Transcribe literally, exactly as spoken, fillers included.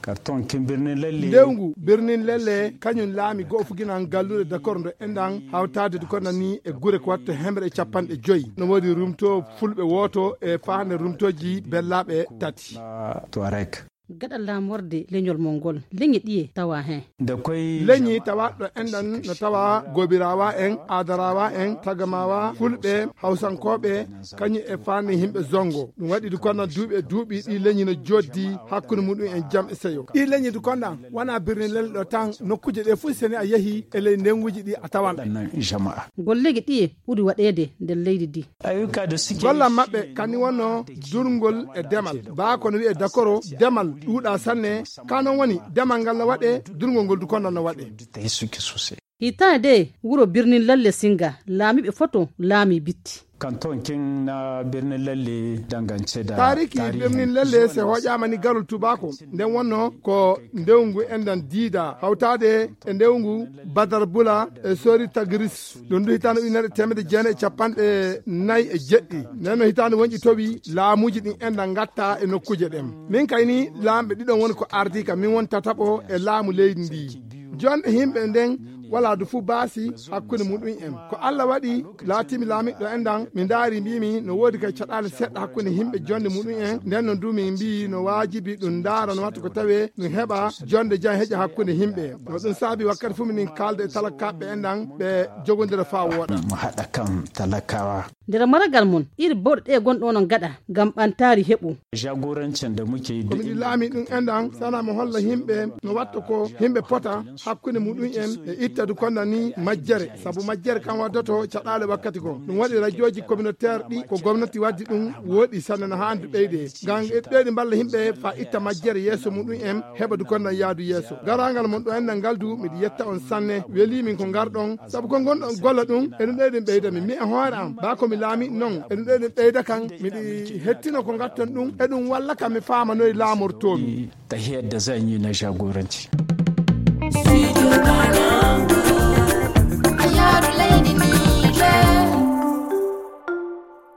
Ndewgu birnin lelle kañum laami go'o fuginan galluure dakor ndo enɗan hawtaade du konɗan ni e gure ko watta hemre e capanɗe joyi. No woodi rumto fulɓe wooto e faande rumtooji bellaaɓe tati. Gaɗa laamorde leñol mon ngol, leñi ɗiye tawa heen? Leñi tawa ɗo enɗan no tawa Gobirawa en, Adarawa en, Tagamawa, Fulɓe, Hawsankooɓe, kañum e faande yimɓe Zongo. Ɗum waɗi du konɗan duuɓi e duuɓi ɗi leñi no joddi hakkunde muɗum en jam e seyo. Ɗi leñi du konɗan wona birnin lelle ɗo tan, nokkuuje ɗe fof seni a yehi e ley ndenguuji ɗi a tawan. Golleeji ɗiye ɓuri waɗeede nder leydi ndi? Gollal maɓɓe kani wonno durngol e demal. Baa kono wi'e dakoro demal ɗuuɗa sanne. Ka non woni demal ngal no waɗe, durngol ngol du konɗan no waɗe. Hitaande de wuro birnin lelle singa laamiiɓe foto laami bitti. Kanton kin na birnin lalle dangance da taariki birnin lalle se hoƴaama ni garol tubako nden wonno ko ndewngu enɗan diida hawtaade e ndewngu badar bula e sori tagris. Ɗum du hitaande ujunere teemedde jeenayi e capanɗe nayi e jeɗɗi. Nden no hitaande wonƴi towi laamuuji ɗin enɗan ngatta e nokkuuje ɗen. Min kayni laamɓe ɗiɗon woni ko ardii ka min woni tataɓo e laamu leydi ndi. Jonde yimɓe nden wala du fu baasi hakkunde muɗum en. Ko Allah waɗi laatimi laamiɗɗo enɗan, mi ndaari mbimi no woodi kay caɗaale seɗɗa hakkunde yimɓe jonde muɗum en. Nden no du min mbii no waajibi ɗum ndaara no watta ko tawe ɗum heɓa jonde jam heƴa hakkunde yimɓe. No ɗum saabi wakkati fu minin kaalda e talakaaɓe enɗan ɓe jogondira faa wooɗa. Mo haɗa kam talakawa. Nder maragal mon, iri bawɗe ɗe gonɗo onon gaɗa ngam ɓantaari heɓu. Jagorancin da muke yi ko miɗi laami ɗum enɗan sana mo holla yimɓe no watta ko yimɓe pota hakkunde muɗum en e ittadu konda ni majjere. Sabu majjere kan waddoto caɗaale wakkati ko ɗum waɗi rajooji communautaire ɗi ko gomnati waddi ɗum woɗi sanne no haandi ɓeyde ngam ɓeydi mballa yimɓe fa itta majjere yeeso muɗum en heɓa du kondan yaadu yeeso. Garangal mon ɗo enɗan ngal du miɗi yetta on sanne weli min ko ngarɗon. Sabu ko ngonɗon golla ɗum eɗum ɗeyɗum ɓeyda mi mi e hoore am ba ko mi laami non eɗum ɗeyɗum ɓeyda kan miɗi hettino ko ngatton ɗum eɗum walla kam mi faamanoye laamortoomi. Tahiyar da zan yi na jagoranci.